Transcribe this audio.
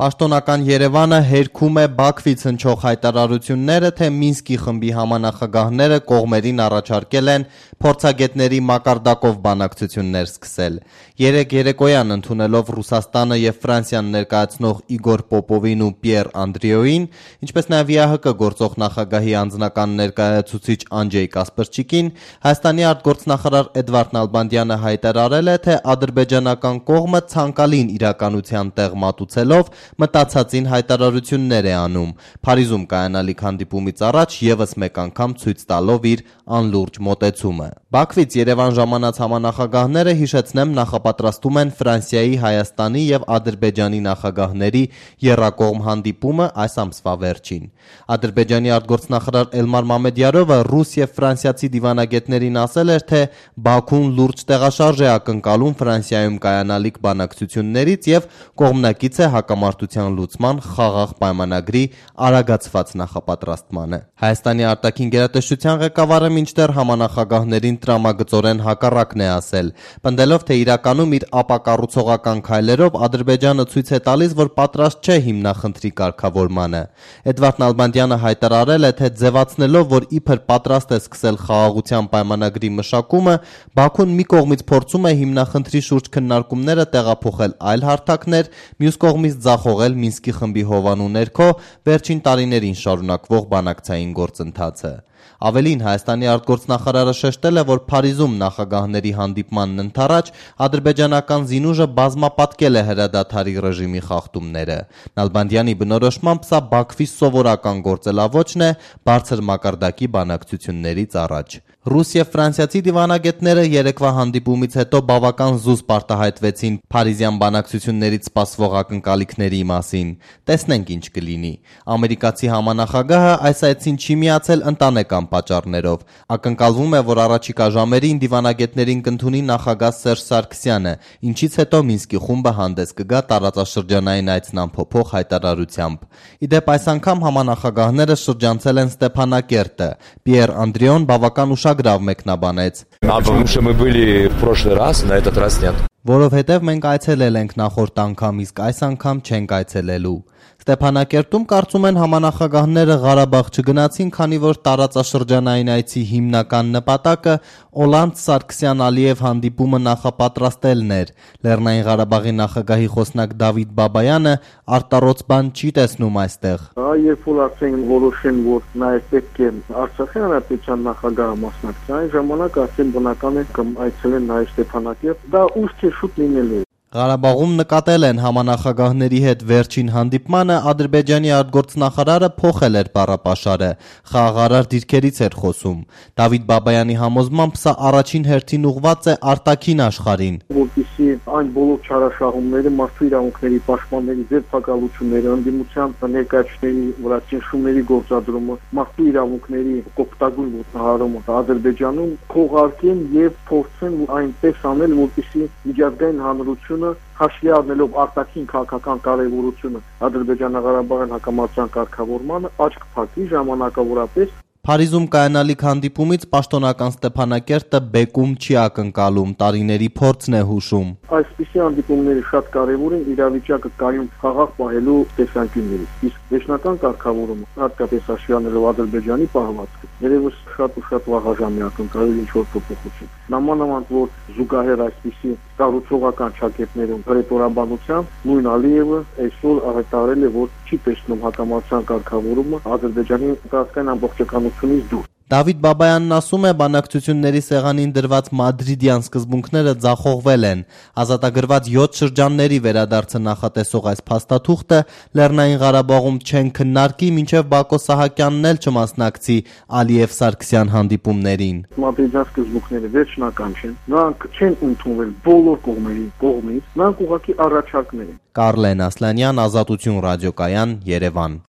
Պաշտոնական Երևանը հերքում է Բաքվից հնչող հայտարարությունները, թե Մինսկի խմբի համանախագահները կողմերին առաջարկել են փորձագետների մակարդակով բանակցություններ սկսել։ Երեկ երեկոյան ընդունելով Ռուսաստանը եւ Ֆրանսիան ներկայացնող Իգոր Պոպովին ու Պիեր Անդրիոին, ինչպես նաեւ ՀՀԿ գործող նախագահի անձնական ներկայացուցիչ Անջեյ Կասպրչիկին, Հայաստանի արտգործնախարար Էդվարդ Նալբանդյանը հայտարարել է, թե ադրբեջանական կողմը ցանկալին իրականության տեղ մատուցելով մտածածին հայտարարություններ է անում, Փարիզում կայանալիք հանդիպումից առաջ եւս մեկ անգամ ցույց տալով իր անլուրջ մոտեցումը։ Բաքվից Երևան ժամանած համանախագահները, հիշեցնեմ, նախապատրաստում են Ֆրանսիայի, Հայաստանի եւ Ադրբեջանի նախագահների եռակողմ հանդիպումը այս ամսվա վերջին։ Ադրբեջանի արտգործնախարար Էլմար Մամեդյարովը ռուս եւ ֆրանսիացի դիվանագետներին ասել էր, թե Բաքուն լուրջ տեղաշարժ է ակնկալում Ֆրանսիայում կայանալիք բանակցություններից եւ կողմնակից է հակամարտության լուծման խաղաղ պայմանագրի արագացված նախապատրաստմանը։ Հայաստանի արտաքին գերատեսչության ղեկավարը մինչդեռ համանախագահներին տրամագծորեն հակառակն է ասել, պնդելով, թե իրականում իր ապակառուցողական քայլերով Ադրբեջանը ցույց է տալիս, որ պատրաստ չէ հիմնախնդրի կարգավորմանը։ Էդվարդ Նալբանդյանը հայտարարել է, թե ձևացնելով, որ իբր պատրաստ է սկսել խաղաղության պայմանագրի մշակումը, Բաքուն մի կողմից փորձում է հիմնախնդրի շուրջ քննարկումները տեղափոխել այլ հարթակներ, մյուս կողմից ձախողել Մինսկի խմբի հովանու ներքո վերջին տարիներին շարունակվող բանակցային գործընթացը։ Ավելին, Հայաստանի արտգործնախարարը շեշտել է, որ Փարիզում նախագահների հանդիպմանն ընդառաջ ադրբեջանական զինուժը բազմապատկել է հրադադարի ռեժիմի խախտումները։ Նալբանդյանի բնորոշմամբ սա Բաքվի սովորական գործելավոճն է բարձր մակարդակի բանակցություններից առաջ։ Ռուս եւ ֆրանսիացի դիվանագետները երեկվա հանդիպումից հետո բավական զուսպ արտահայտվեցին փարիզյան բանակցություններից սպասվող ակնկալիքների մասին։ Տեսնենք ինչ կլինի։ Ամերիկացի համանախագահը այս այցին չի միացել ընտանեկան պատճառներով։ Ակնկալվում է, որ առաջիկա ժամերին դիվանագետներին կընդունի նախագահ Սերժ Սարգսյանը, ինչից հետո Մինսկի խումբը հանդես կգա տարածաշրջանային այցն ամփոփող հայտարարությամբ։ Իդեպ այս անգամ համանախագահները շրջանցել են Ստեփանակերտը։ Պիեր Անդրիոն բավական ուշագրավ մեկնաբանեց. Потому что мы были в прошлый раз, на этот раз нет. Որովհետև մենք այցելել ենք նախորդ անգամ, իսկ այս անգամ չենք այցելելու։ Ստեփանակերտում կարծում են համանախագահները Ղարաբաղ չգնացին, քանի որ տարածաշրջանային այցի հիմնական նպատակը Օլանդ-Սարգսյան-Ալիև հանդիպումը նախապատրաստելն էր։ Լեռնային Ղարաբաղի նախագահի խոսնակ Դավիթ Բաբայանը արտառոց բան չի տեսնում այստեղ։ Երբ որ ասենք որոշեն, որ նաև պետք է Արցախի հանրապետության նախագահը մասնակցի, այն ժամանակ ասեն բնական է կամ այցելեն նաև Ստեփանակերտ, դա ուշ չէ շուտ լինելու է։ Ղարաբաղում նկատել են համանախագահների հետ վերջին հանդիպմանը ադրբեջանի արտգործնախարարը փոխել էր բառապաշարը, խաղաղարար դիրքերից էր խոսում։ Դավիթ Բաբայանի համոզմամբ սա առաջին հերթին ուղղված է արտաքին աշխարհին։ Որպեսզի այն բոլոր չարաշահումները, մարդու իրավունքների պաշտպանների ձերբակալությունները, ընդդիմության ներկայացուցիչների վրա ճնշումների գործադրումը, մարդու իրավունքների կոպտագույն ոտնահարումը Ադրբեջանում քողարկեն եւ փորձեն այնպես անել, որպեսզի միջազգային հանրությունը հաշվի առնելով արտաքին քաղաքական կարևորությունը Ադրբեջանա-Ղարաբաղյան հակամարտության կարգավորմանը աչք փակի ժամանակավորապես։ Փարիզում կայանալիք հանդիպումից պաշտոնական Ստեփանակերտը բեկում չի ակնկալում, տարիների փորձն է հուշում։ Այսպիսի հանդիպումները շատ կարևոր են իրավիճակը կայուն խաղաղ պահելու տեսանկյուններից։ Իսկ վերջնական կարգավորումը, հատկապես հաշվի առնելով Ադրբեջանի պահվածքը, երևս շատ ու շատ վաղաժամի ակնկալել ինչ-որ փոփոխություն։ Նամանավանդ որ զուգահեռ այսպիսի կառուցողական ճակատներում հրետորաբանությամբ նույն Ալիևը այսօր հայտարարել է, որ չի տեսնում հակամարտության կարգավորումը Ադրբեջանի տարածքային ամբողջականությունից դուրս։ Դավիթ Բաբայանն ասում է, բանակցությունների սեղանին դրված մադրիդյան սկզբունքները ձախողվել են։ Ազատագրված 7 շրջանների վերադարձը նախատեսող այս փաստաթուղթը Լեռնային Ղարաբաղում չեն քննարկի, մինչև Բակո Սահակյանն էլ չմասնակցի Ալիև-Սարգսյան հանդիպումներին։ Մադրիդյան սկզբունքները վերջնական չեն։ Նրանք չեն ընդունվել բոլոր կողմերի կողմից, նրանք ուղղակի առաջարկներ են։ Կարլեն Ասլանյան, Ազատություն ռադիոկայան, Երևան։